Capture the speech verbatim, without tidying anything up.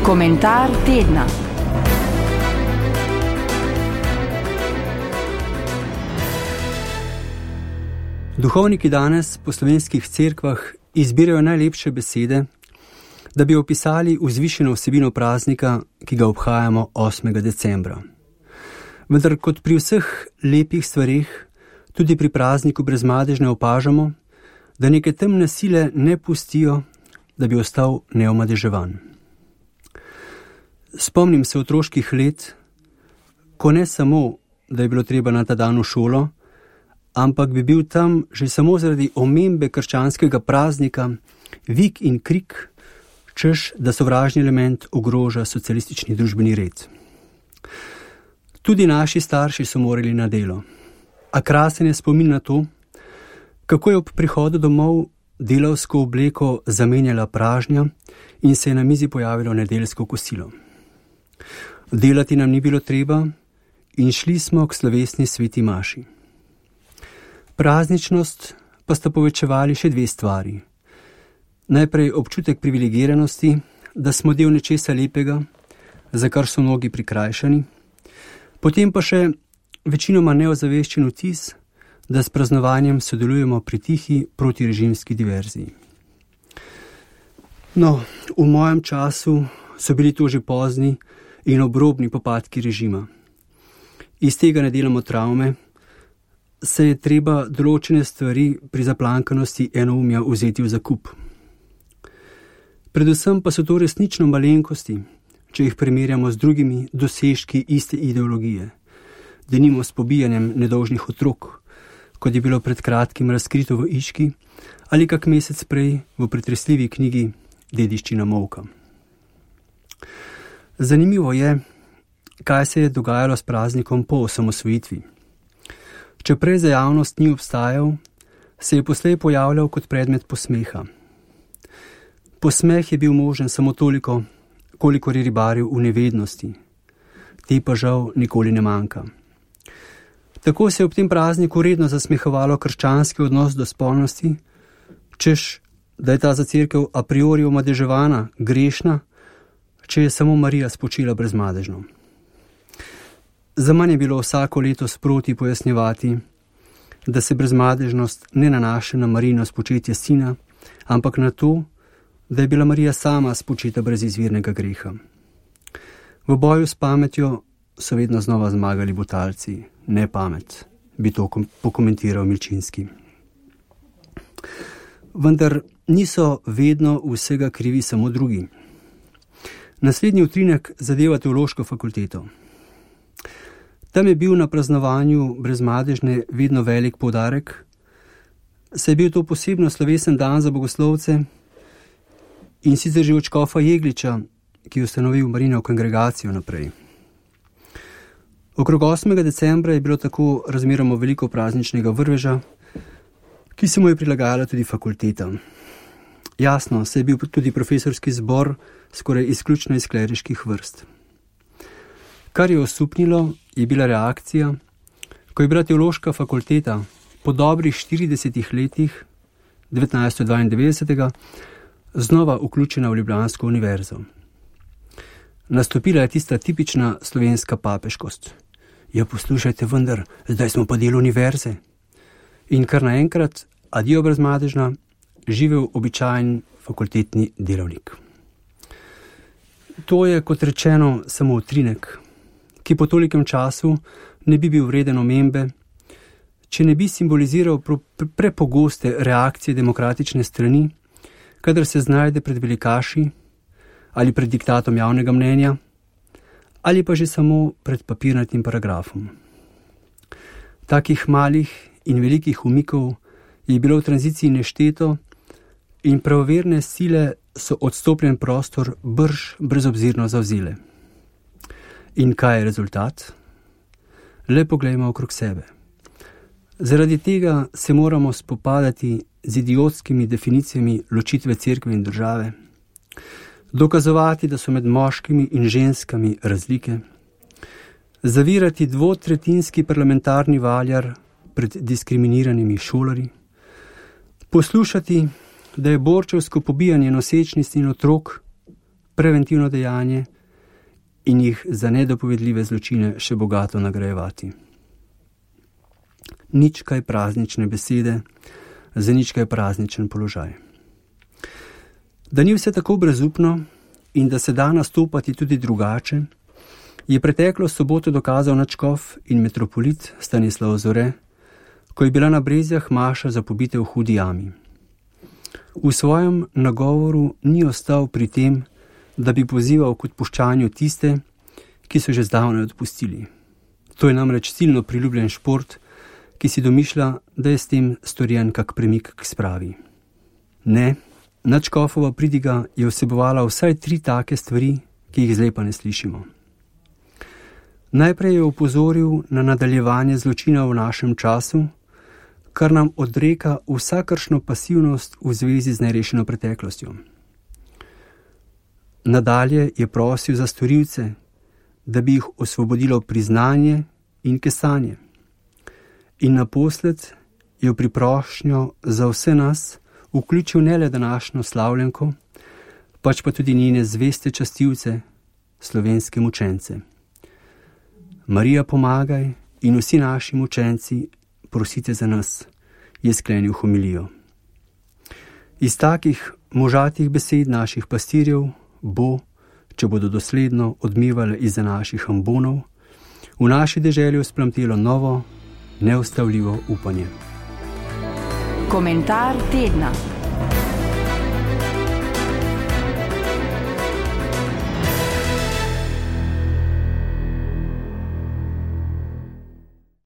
Komentar tedna. Duhovniki danes po slovenskih cerkvah izbirajo najlepše besede, da bi opisali vzvišeno vsebino praznika, ki ga obhajamo osmega decembra. Vendar kot pri vseh lepih stvareh, tudi pri prazniku Brezmadežne opažamo, da neke temne sile ne pustijo, da bi ostal neomadeževan. Spomnim se otroških let, ko ne samo, da je bilo treba na ta dan v šolo, ampak bi bil tam že samo zaradi omembe krščanskega praznika vik in krik, češ, da sovražni element ogroža socialistični družbeni red. Tudi naši starši so morali na delo, a krasen je spomin na to, kako je ob prihodu domov delavsko obleko zamenjala pražnja in se je na mizi pojavilo nedeljsko kosilo. Delati nam ni bilo treba in šli smo k slovesni sveti maši. Prazničnost pa sta povečevali še dve stvari. Najprej občutek privilegiranosti, da smo del nečesa lepega, za kar so mnogi prikrajšani, potem pa še večinoma neozaveščen vtis, da s praznovanjem sodelujemo pri tihi protirežimski diverziji. No, v mojem času so bili to že pozni in obrobni popadki režima. Iz tega ne delamo travme, se je treba določene stvari pri zaplankanosti enoumja vzeti v zakup. Predvsem pa so to resnično malenkosti, če jih primerjamo z drugimi dosežki iste ideologije, denimo s pobijanjem nedolžnih otrok, kot je bilo pred kratkim razkrito v Iški, ali kak mesec prej v pretresljivi knjigi Dediščina molka. Zanimivo je, kaj se je dogajalo s praznikom po osamosvojitvi. Če prej za javnost ni obstajal, se je poslej pojavljal kot predmet posmeha. Posmeh je bil možen samo toliko, kolikor je ribaril v nevednosti. Te pa žal nikoli ne manjka. Tako se je ob tem prazniku redno zasmehovalo krščanski odnos do spolnosti, češ, da je ta za cerkev a priori omadeževana, grešna, če je samo Marija spočila brezmadežno. Za manj je bilo vsako leto sproti pojasnjevati, da se brezmadežnost ne nanaša na Marijino spočetje sina, ampak na to, da je bila Marija sama spočeta brez izvirnega greha. V boju s pametjo so vedno znova zmagali butalci, ne pamet, bi to pokomentiral Milčinski. Vendar niso vedno vsega krivi samo drugi. Naslednji utrinek zadeva teološko fakulteto. Tam je bil na praznovanju Brezmadežne vedno velik poudarek, saj je bil to posebno slovesen dan za bogoslovce in sicer že od škofa Jegliča, ki je ustanovil Marijino kongregacijo naprej. Okrog osmega decembra je bilo tako razmeroma veliko prazničnega vrveža, ki se mu je prilagajala tudi fakulteta. Jasno, se je bil tudi profesorski zbor skoraj izključno iz kleriških vrst. Kar je osupnilo, je bila reakcija, ko je bila teološka fakulteta po dobrih štiridesetih letih devetnajststo dvaindevetdesetega znova vključena v Ljubljansko univerzo. Nastopila je tista tipična slovenska papeškost. Ja, poslušajte vendar, zdaj smo pa del univerze. In kar naenkrat, adijo Brezmadežna, živel običajen fakultetni delavnik. To je, kot rečeno, samo utrinek, ki po tolikem času ne bi bil vreden omembe, če ne bi simboliziral prepogoste reakcije demokratične strani, kadar se znajde pred velikaši ali pred diktatom javnega mnenja, ali pa že samo pred papirnatim paragrafom. Takih malih in velikih umikov je bilo v tranziciji nešteto in pravoverne sile so odstopljen prostor brž brezobzirno zavzele. In kaj je rezultat? Le poglejmo okrog sebe. Zaradi tega se moramo spopadati z idiotskimi definicijami ločitve cerkve in države, dokazovati, da so med moškimi in ženskami razlike, zavirati dvotretinski parlamentarni valjar pred diskriminiranimi šolarji, poslušati, da je borčevsko pobijanje nosečnic in otrok preventivno dejanje in jih za nedopovedljive zločine še bogato nagrajevati. Nič kaj praznične besede, za nič kaj prazničen položaj. Da ni vse tako brezupno in da se da nastopati tudi drugače, je preteklo soboto dokazal nadškof in metropolit Stanislav Zore, ko je bila na Brezjah maša za pobite v Hudi jami. V svojem nagovoru ni ostal pri tem, da bi pozival k odpuščanju tiste, ki so že zdavnaj odpustili. To je namreč silno priljubljen šport, ki si domišlja, da je s tem storjen kak premik k spravi. Ne, nadškofova pridiga je vsebovala vsaj tri take stvari, ki jih zdaj pa ne slišimo. Najprej je opozoril na nadaljevanje zločina v našem času, kar nam odreka vsakršno pasivnost v zvezi z nerešeno preteklostjo. Nadalje je prosil za storilce, da bi jih osvobodilo priznanje in kesanje. In naposled je v priprošnjo za vse nas vključil ne le današnjo slavljenko, pač pa tudi njene zveste častilce, slovenske mučence. Marija, pomagaj in vsi naši mučenci, prosite za nas, je sklenil homilijo. Iz takih možatih besed naših pastirjev bo, če bodo dosledno odmevale izza naših ambonov, v naši deželi vzplamtelo novo, neustavljivo upanje. Komentar tedna.